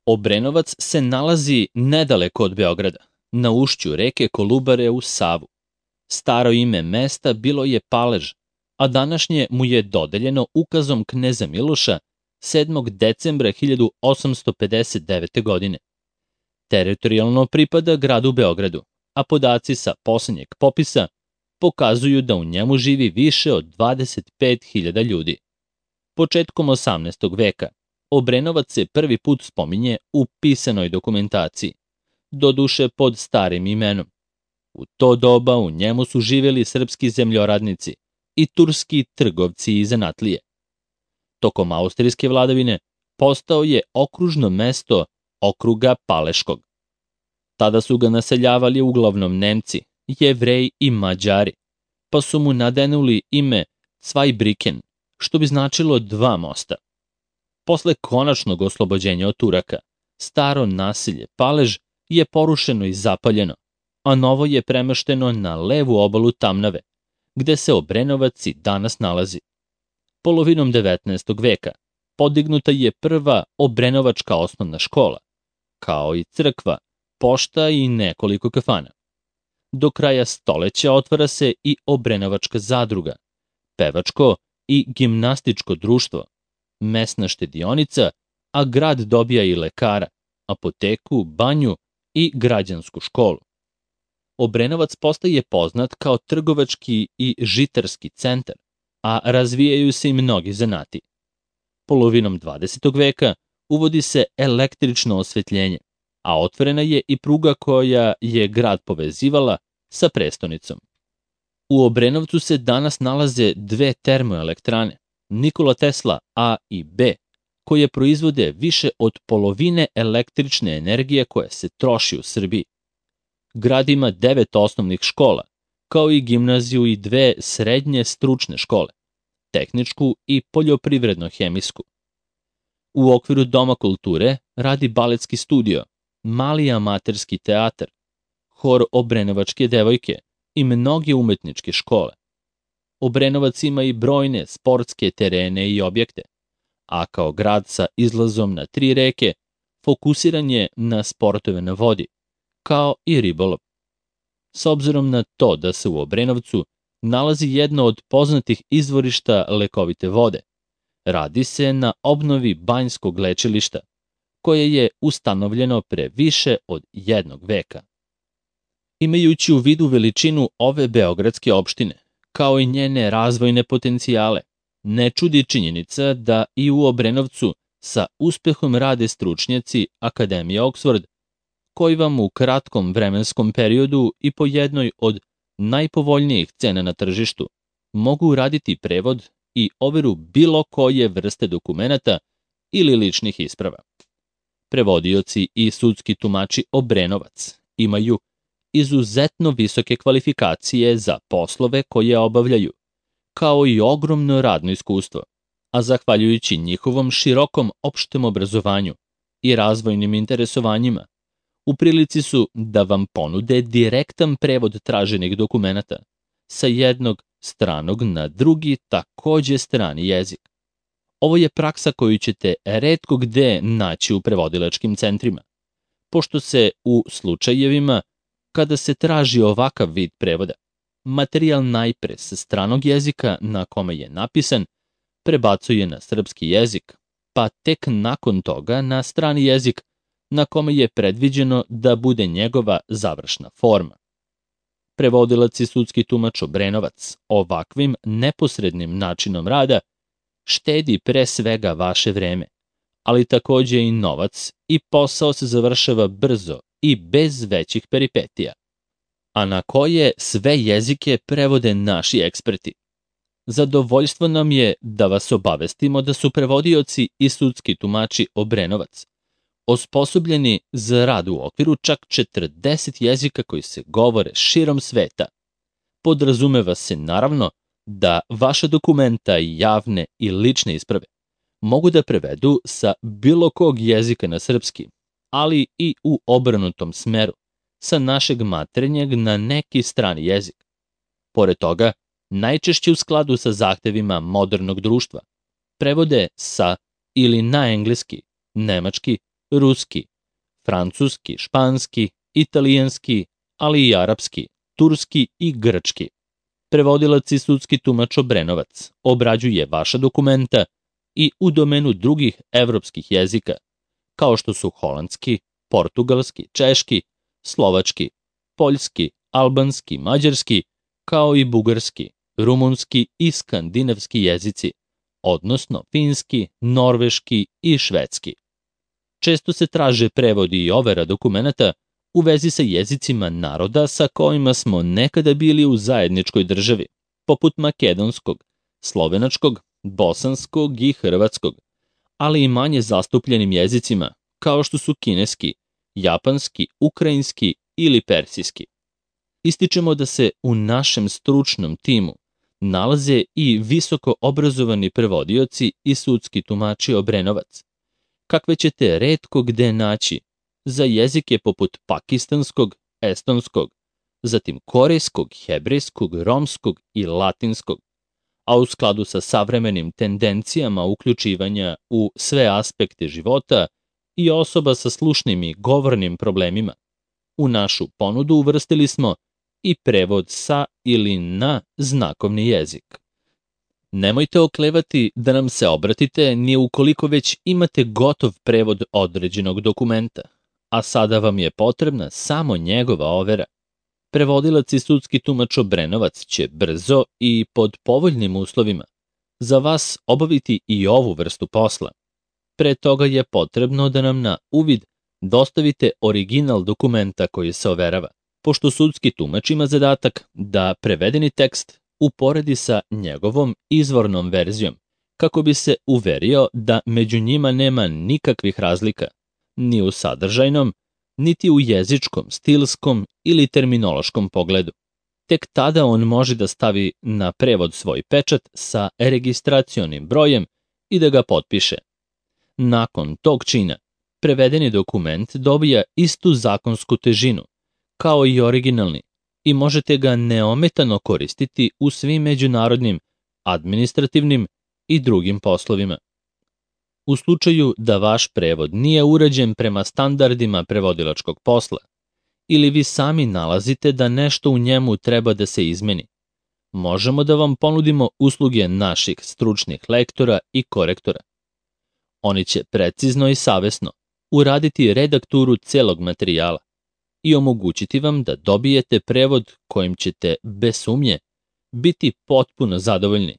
Obrenovac se nalazi nedaleko od Beograda, na ušću reke Kolubare u Savu. Staro ime mesta bilo je Palež, a današnje mu je dodeljeno ukazom kneza Miloša 7. decembra 1859. godine. Teritorijalno pripada gradu Beogradu, a podaci sa poslednjeg popisa pokazuju da u njemu živi više od 25.000 ljudi. Početkom 18. veka Obrenovac se prvi put spominje u pisanoj dokumentaciji, doduše pod starim imenom. U to doba u njemu su živjeli srpski zemljoradnici i turski trgovci i zanatlije. Tokom austrijske vladavine postao je okružno mesto okruga Paleškog. Tada su ga naseljavali uglavnom Nemci, Jevreji i Mađari, pa su mu nadenuli ime Zweibrücken, što bi značilo dva mosta. Posle konačnog oslobođenja od Turaka, staro naselje Palež je porušeno i zapaljeno, a novo je premešteno na levu obalu Tamnave, gde se Obrenovac i danas nalazi. Polovinom 19. veka podignuta je prva obrenovačka osnovna škola, kao i crkva, pošta i nekoliko kafana. Do kraja stoleća otvara se i Obrenovačka zadruga, pevačko i gimnastičko društvo, mesna štedionica, a grad dobija i lekara, apoteku, banju i građansku školu. Obrenovac postaje poznat kao trgovački i žitarski centar, a razvijaju se i mnogi zanati. Polovinom 20. veka uvodi se električno osvetljenje, a otvorena je i pruga koja je grad povezivala sa prestonicom. U Obrenovcu se danas nalaze dve termoelektrane, Nikola Tesla A i B, koje proizvode više od polovine električne energije koja se troši u Srbiji. Grad ima 9 osnovnih škola, kao i gimnaziju i 2 srednje stručne škole, tehničku i poljoprivredno-hemijsku. U okviru Doma kulture radi baletski studio, mali amaterski teatar, hor Obrenovačke devojke i mnoge umetničke škole. Obrenovac ima i brojne sportske terene i objekte, a kao grad sa izlazom na 3 reke fokusiran je na sportove na vodi, kao i ribolov. S obzirom na to da se u Obrenovcu nalazi jedno od poznatih izvorišta lekovite vode, radi se na obnovi banjskog lečilišta, koje je ustanovljeno pre više od 1 veka. Imajući u vidu veličinu ove beogradske opštine, kao i njene razvojne potencijale, ne čudi činjenica da i u Obrenovcu sa uspehom rade stručnjaci Akademije Oxford, koji vam u kratkom vremenskom periodu i po jednoj od najpovoljnijih cena na tržištu mogu uraditi prevod i overu bilo koje vrste dokumenata ili ličnih isprava. Prevodioci i sudski tumači Obrenovac imaju izuzetno visoke kvalifikacije za poslove koje obavljaju, kao i ogromno radno iskustvo, a zahvaljujući njihovom širokom opštem obrazovanju i razvojnim interesovanjima, u prilici su da vam ponude direktan prevod traženih dokumenata sa jednog stranog na drugi takođe strani jezik. Ovo je praksa koju ćete retko gde naći u prevodilačkim centrima, pošto se u slučajevima kada se traži ovakav vid prevoda, materijal najpre sa stranog jezika na kome je napisan prebacuje na srpski jezik, pa tek nakon toga na strani jezik na kome je predviđeno da bude njegova završna forma. Prevodilac i sudski tumač Obrenovac ovakvim neposrednim načinom rada štedi pre svega vaše vreme, ali takođe i novac i posao se završava brzo i bez većih peripetija. A na koje sve jezike prevode naši eksperti? Zadovoljstvo nam je da vas obavestimo da su prevodioci i sudski tumači Obrenovac osposobljeni za rad u okviru čak 40 jezika koji se govore širom sveta. Podrazumeva se naravno da vaša dokumenta i javne i lične isprave mogu da prevedu sa bilo kog jezika na srpski, ali i u obrnutom smeru, sa našeg maternjeg na neki strani jezik. Pored toga, najčešće u skladu sa zahtevima modernog društva, prevode sa ili na engleski, nemački, ruski, francuski, španski, italijanski, ali i arapski, turski i grčki. Prevodilac i sudski tumač Obrenovac obrađuje vaša dokumenta i u domenu drugih evropskih jezika, kao što su holandski, portugalski, češki, slovački, poljski, albanski, mađarski, kao i bugarski, rumunski i skandinavski jezici, odnosno finski, norveški i švedski. Često se traže prevodi i overa dokumenata u vezi sa jezicima naroda sa kojima smo nekada bili u zajedničkoj državi, poput makedonskog, slovenačkog, bosanskog i hrvatskog, ali i manje zastupljenim jezicima kao što su kineski, japanski, ukrajinski ili persijski. Ističemo da se u našem stručnom timu nalaze i visoko obrazovani prevodioci i sudski tumači Obrenovac, kakve ćete retko gde naći za jezike poput pakistanskog, estonskog, zatim korejskog, hebrejskog, romskog i latinskog, a u skladu sa savremenim tendencijama uključivanja u sve aspekte života i osoba sa slušnim i govornim problemima. U našu ponudu uvrstili smo i prevod sa ili na znakovni jezik. Nemojte oklevati da nam se obratite ni ukoliko već imate gotov prevod određenog dokumenta, a sada vam je potrebna samo njegova overa. Prevodilac i sudski tumač Obrenovac će brzo i pod povoljnim uslovima za vas obaviti i ovu vrstu posla. Pre toga je potrebno da nam na uvid dostavite original dokumenta koji se overava, pošto sudski tumač ima zadatak da prevedeni tekst uporedi sa njegovom izvornom verzijom, kako bi se uverio da među njima nema nikakvih razlika, ni u sadržajnom, niti u jezičkom, stilskom ili terminološkom pogledu. Tek tada on može da stavi na prevod svoj pečat sa registracionim brojem i da ga potpiše. Nakon tog čina, prevedeni dokument dobija istu zakonsku težinu, kao i originalni, i možete ga neometano koristiti u svim međunarodnim, administrativnim i drugim poslovima. U slučaju da vaš prevod nije urađen prema standardima prevodilačkog posla ili vi sami nalazite da nešto u njemu treba da se izmeni, možemo da vam ponudimo usluge naših stručnih lektora i korektora. Oni će precizno i savesno uraditi redakturu celog materijala i omogućiti vam da dobijete prevod kojim ćete, bez sumnje, biti potpuno zadovoljni,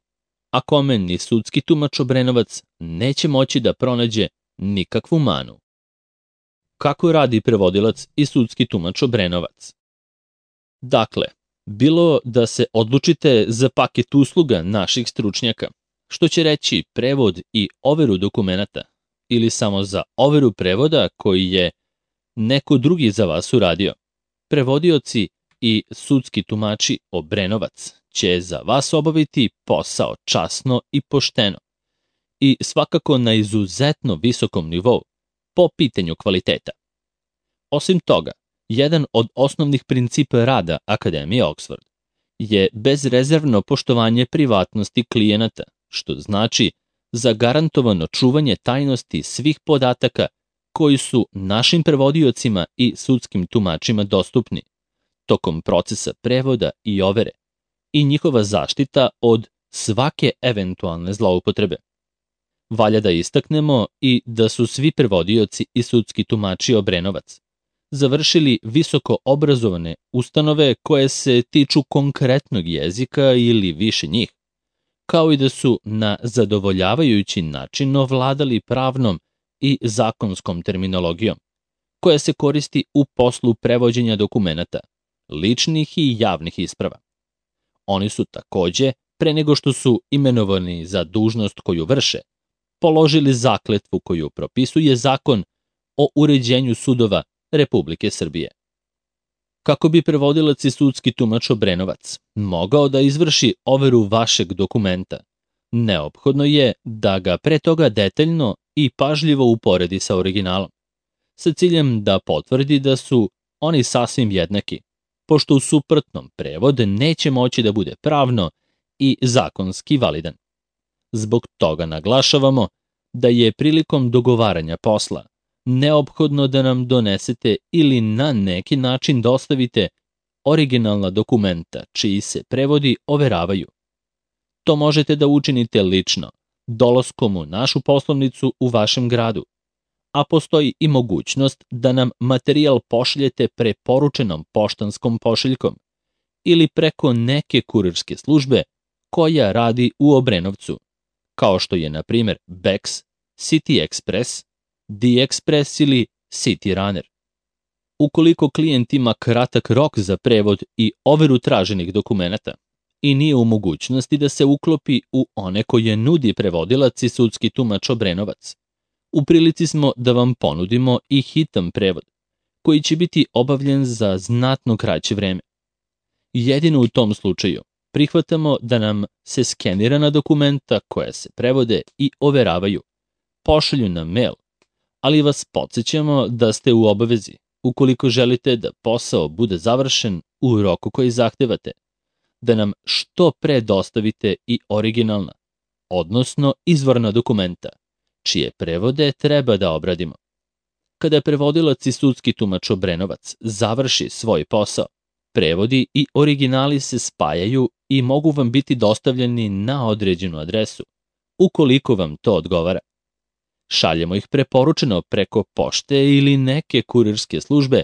a kome ni sudski tumač Obrenovac neće moći da pronađe nikakvu manu. Kako radi prevodilac i sudski tumač Obrenovac? Dakle, bilo da se odlučite za paket usluga naših stručnjaka, što će reći prevod i overu dokumenata, ili samo za overu prevoda koji je neko drugi za vas uradio, prevodioci i sudski tumači Obrenovac će za vas obaviti posao časno i pošteno i svakako na izuzetno visokom nivou po pitanju kvaliteta. Osim toga, jedan od osnovnih principa rada Akademije Oxford je bezrezervno poštovanje privatnosti klijenata, što znači zagarantovano čuvanje tajnosti svih podataka koji su našim prevodiocima i sudskim tumačima dostupni tokom procesa prevoda i overe i njihova zaštita od svake eventualne zloupotrebe. Valja da istaknemo i da su svi prevodioci i sudski tumači Obrenovac završili visoko obrazovane ustanove koje se tiču konkretnog jezika ili više njih, kao i da su na zadovoljavajući način ovladali pravnom i zakonskom terminologijom, koja se koristi u poslu prevođenja dokumenata, ličnih i javnih isprava. Oni su takođe, pre nego što su imenovani za dužnost koju vrše, položili zakletvu koju propisuje Zakon o uređenju sudova Republike Srbije. Kako bi prevodilac i sudski tumač Obrenovac mogao da izvrši overu vašeg dokumenta, neophodno je da ga pre toga detaljno i pažljivo uporedi sa originalom, sa ciljem da potvrdi da su oni sasvim jednaki, pošto u suprotnom prevod neće moći da bude pravno i zakonski validan. Zbog toga naglašavamo da je prilikom dogovaranja posla neophodno da nam donesete ili na neki način dostavite originalna dokumenta čiji se prevodi overavaju. To možete da učinite lično, dolaskom u našu poslovnicu u vašem gradu, a postoji i mogućnost da nam materijal pošaljete preporučenom poštanskom pošiljkom ili preko neke kurirske službe koja radi u Obrenovcu, kao što je, na primjer, Bex, City Express, D-Express ili City Runner. Ukoliko klijent ima kratak rok za prevod i overu traženih dokumenata i nije u mogućnosti da se uklopi u one koje nudi prevodilac i sudski tumač Obrenovac, u prilici smo da vam ponudimo i hitan prevod, koji će biti obavljen za znatno kraće vreme. Jedino u tom slučaju prihvatamo da nam se skenirana dokumenta koja se prevode i overavaju pošalju na mail, ali vas podsjećamo da ste u obavezi, ukoliko želite da posao bude završen u roku koji zahtevate, da nam što pre dostavite i originalna, odnosno izvorna dokumenta, čije prevode treba da obradimo. Kada prevodilac i sudski tumač Obrenovac završi svoj posao, prevodi i originali se spajaju i mogu vam biti dostavljeni na određenu adresu, ukoliko vam to odgovara. Šaljemo ih preporučeno preko pošte ili neke kurirske službe,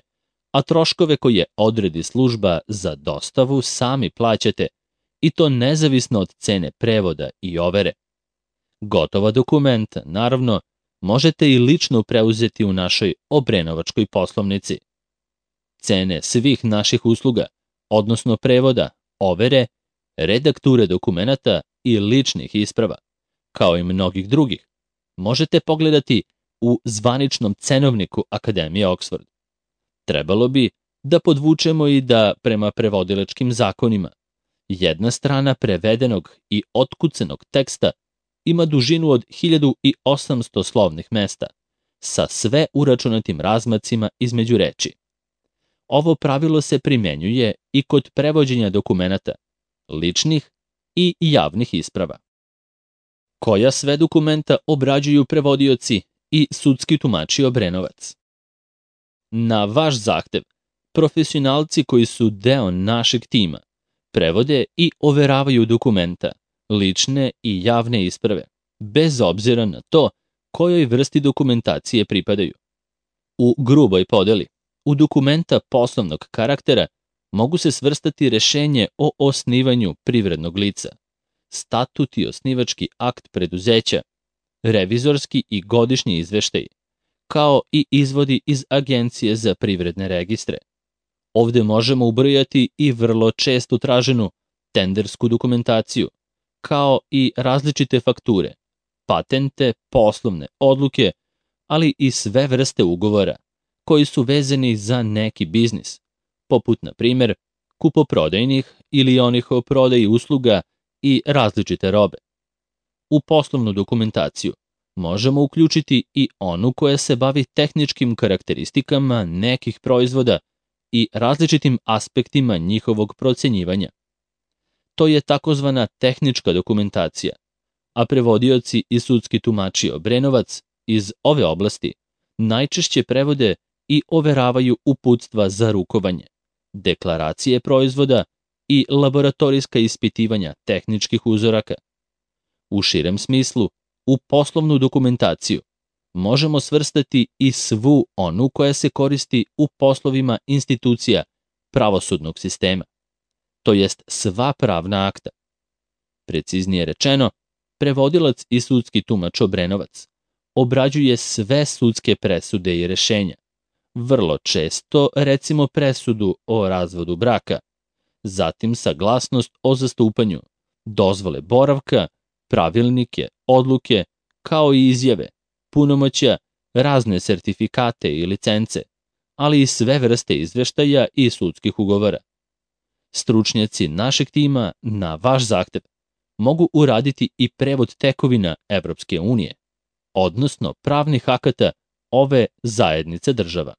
a troškove koje odredi služba za dostavu sami plaćate, i to nezavisno od cene prevoda i overe. Gotova dokumenta, naravno, možete i lično preuzeti u našoj obrenovačkoj poslovnici. Cene svih naših usluga, odnosno prevoda, overe, redakture dokumenata i ličnih isprava, kao i mnogih drugih, možete pogledati u zvaničnom cenovniku Akademije Oxford. Trebalo bi da podvučemo i da, prema prevodilačkim zakonima, jedna strana prevedenog i otkucanog teksta ima dužinu od 1800 slovnih mesta, sa sve uračunatim razmacima između reči. Ovo pravilo se primenjuje i kod prevođenja dokumenata, ličnih i javnih isprava. Koja sve dokumenta obrađuju prevodioci i sudski tumači Obrenovac? Na vaš zahtev, profesionalci koji su deo našeg tima prevode i overavaju dokumenta, lične i javne isprave, bez obzira na to kojoj vrsti dokumentacije pripadaju. U gruboj podeli, u dokumenta poslovnog karaktera mogu se svrstati rešenje o osnivanju privrednog lica, statut i osnivački akt preduzeća, revizorski i godišnji izveštaj, kao i izvodi iz Agencije za privredne registre. Ovde možemo ubrojati i vrlo često traženu tendersku dokumentaciju, kao i različite fakture, patente, poslovne odluke, ali i sve vrste ugovora koji su vezani za neki biznis, poput, na primjer, kupoprodajnih ili onih o prodaji usluga i različite robe. U poslovnu dokumentaciju možemo uključiti i onu koja se bavi tehničkim karakteristikama nekih proizvoda i različitim aspektima njihovog procenjivanja. To je takozvana tehnička dokumentacija, a prevodioci i sudski tumači Obrenovac iz ove oblasti najčešće prevode i overavaju uputstva za rukovanje, deklaracije proizvoda i laboratorijska ispitivanja tehničkih uzoraka. U širem smislu, u poslovnu dokumentaciju možemo svrstati i svu onu koja se koristi u poslovima institucija pravosudnog sistema, to jest sva pravna akta. Preciznije rečeno, prevodilac i sudski tumač Obrenovac obrađuje sve sudske presude i rešenja, vrlo često recimo presudu o razvodu braka, zatim saglasnost o zastupanju, dozvole boravka, pravilnike, odluke, kao i izjave, punomoćja, razne sertifikate i licence, ali i sve vrste izveštaja i sudskih ugovora. Stručnjaci našeg tima na vaš zahtev mogu uraditi i prevod tekovina Evropske unije, odnosno pravnih akata ove zajednice država.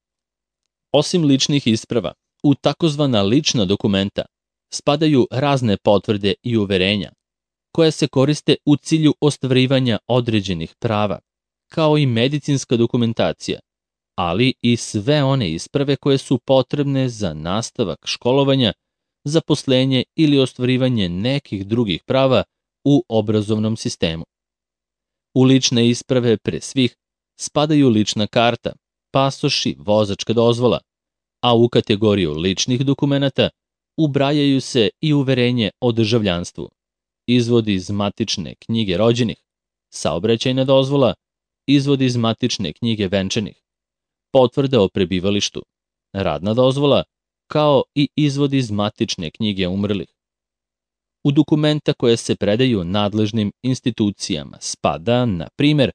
Osim ličnih isprava, u takozvana lična dokumenta spadaju razne potvrde i uverenja, koja se koriste u cilju ostvarivanja određenih prava, kao i medicinska dokumentacija, ali i sve one isprave koje su potrebne za nastavak školovanja, zaposlenje ili ostvarivanje nekih drugih prava u obrazovnom sistemu. U lične isprave pre svih spadaju lična karta, pasoš i vozačka dozvola, a u kategoriju ličnih dokumenata ubrajaju se i uverenje o državljanstvu, izvod iz matične knjige rođenih, saobraćajna dozvola, izvod iz matične knjige venčanih, potvrda o prebivalištu, radna dozvola, kao i izvod iz matične knjige umrlih. U dokumenta koje se predaju nadležnim institucijama spada, na primer,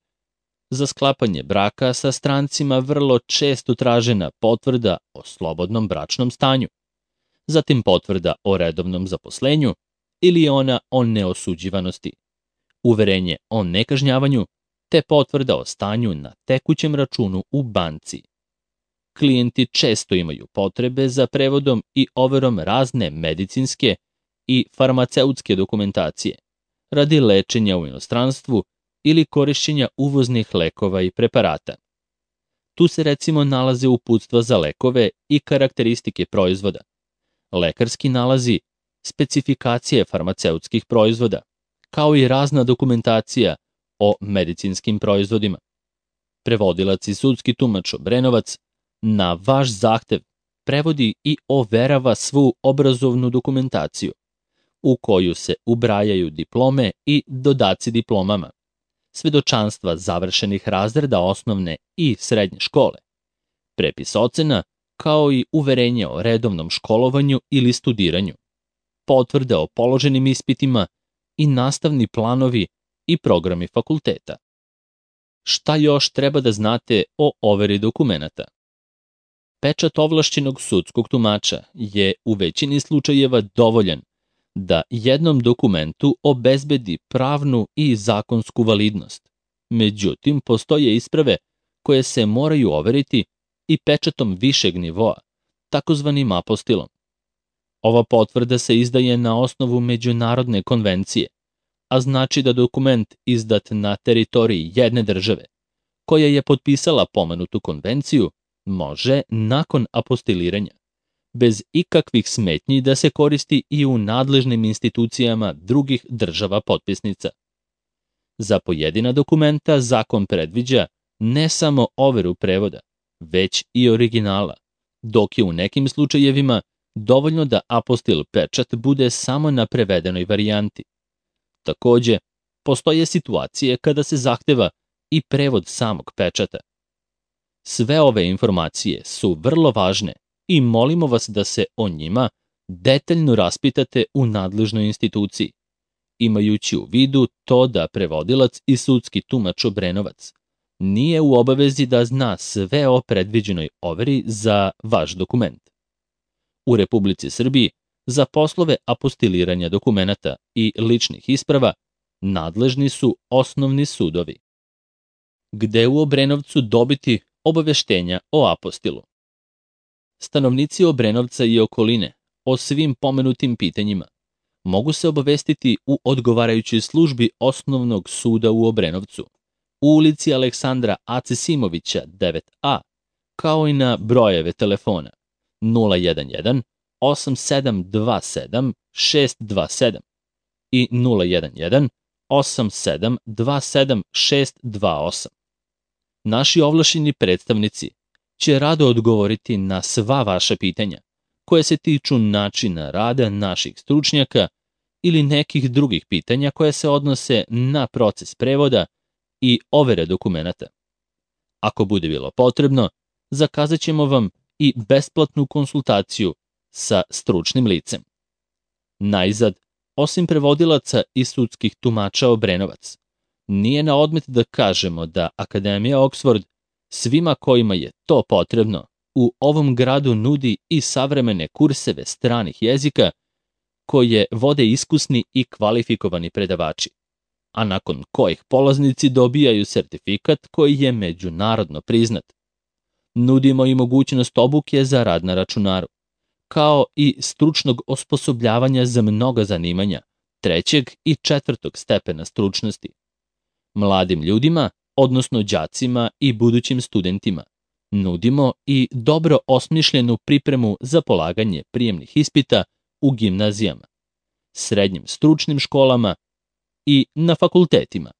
za sklapanje braka sa strancima vrlo često tražena potvrda o slobodnom bračnom stanju, zatim potvrda o redovnom zaposlenju ili ona o neosuđivanosti, uverenje o nekažnjavanju te potvrda o stanju na tekućem računu u banci. Klijenti često imaju potrebe za prevodom i overom razne medicinske i farmaceutske dokumentacije radi lečenja u inostranstvu ili korišćenja uvoznih lekova i preparata. Tu se recimo nalaze uputstva za lekove i karakteristike proizvoda, lekarski nalazi, specifikacije farmaceutskih proizvoda, kao i razna dokumentacija o medicinskim proizvodima. Prevodilac i sudski tumač Obrenovac na vaš zahtev prevodi i overava svu obrazovnu dokumentaciju, u koju se ubrajaju diplome i dodaci diplomama, svedočanstva završenih razreda osnovne i srednje škole, prepis ocena, kao i uverenje o redovnom školovanju ili studiranju, potvrde o položenim ispitima i nastavni planovi i programi fakulteta. Šta još treba da znate o overi dokumenata? Pečat ovlašćenog sudskog tumača je u većini slučajeva dovoljan da jednom dokumentu obezbedi pravnu i zakonsku validnost. Međutim, postoje isprave koje se moraju overiti i pečatom višeg nivoa, takozvanim apostilom. Ova potvrda se izdaje na osnovu međunarodne konvencije, a znači da dokument izdat na teritoriji jedne države, koja je potpisala pomenutu konvenciju, može, nakon apostiliranja, bez ikakvih smetnji da se koristi i u nadležnim institucijama drugih država potpisnica. Za pojedina dokumenta zakon predviđa ne samo overu prevoda, već i originala, dok je u nekim slučajevima dovoljno da apostil pečat bude samo na prevedenoj varijanti. Takođe, postoje situacije kada se zahteva i prevod samog pečata. Sve ove informacije su vrlo važne i molimo vas da se o njima detaljno raspitate u nadležnoj instituciji, imajući u vidu to da prevodilac i sudski tumač Obrenovac nije u obavezi da zna sve o predviđenoj overi za vaš dokument. U Republici Srbiji za poslove apostiliranja dokumenata i ličnih isprava nadležni su osnovni sudovi. Gde u Obrenovcu dobiti obaveštenja o apostilu? Stanovnici Obrenovca i okoline o svim pomenutim pitanjima mogu se obavestiti u odgovarajućoj službi Osnovnog suda u Obrenovcu, u ulici Aleksandra Acesimovića 9A, kao i na brojeve telefona 011 8727 627 i 011 8727 628. Naši ovlašćeni predstavnici će rado odgovoriti na sva vaša pitanja koje se tiču načina rada naših stručnjaka ili nekih drugih pitanja koje se odnose na proces prevoda i overe dokumenata. Ako bude bilo potrebno, zakazat ćemo vam i besplatnu konsultaciju sa stručnim licem. Najzad, osim prevodilaca i sudskih tumača Obrenovac, nije na odmet da kažemo da Akademija Oxford svima kojima je to potrebno u ovom gradu nudi i savremene kurseve stranih jezika koje vode iskusni i kvalifikovani predavači, a nakon kojih polaznici dobijaju sertifikat koji je međunarodno priznat. Nudimo i mogućnost obuke za rad na računaru, kao i stručnog osposobljavanja za mnoga zanimanja 3. i 4. stepena stručnosti. Mladim ljudima, odnosno đacima i budućim studentima, Nudimo i dobro osmišljenu pripremu za polaganje prijemnih ispita u gimnazijama, srednjim stručnim školama i na fakultetima.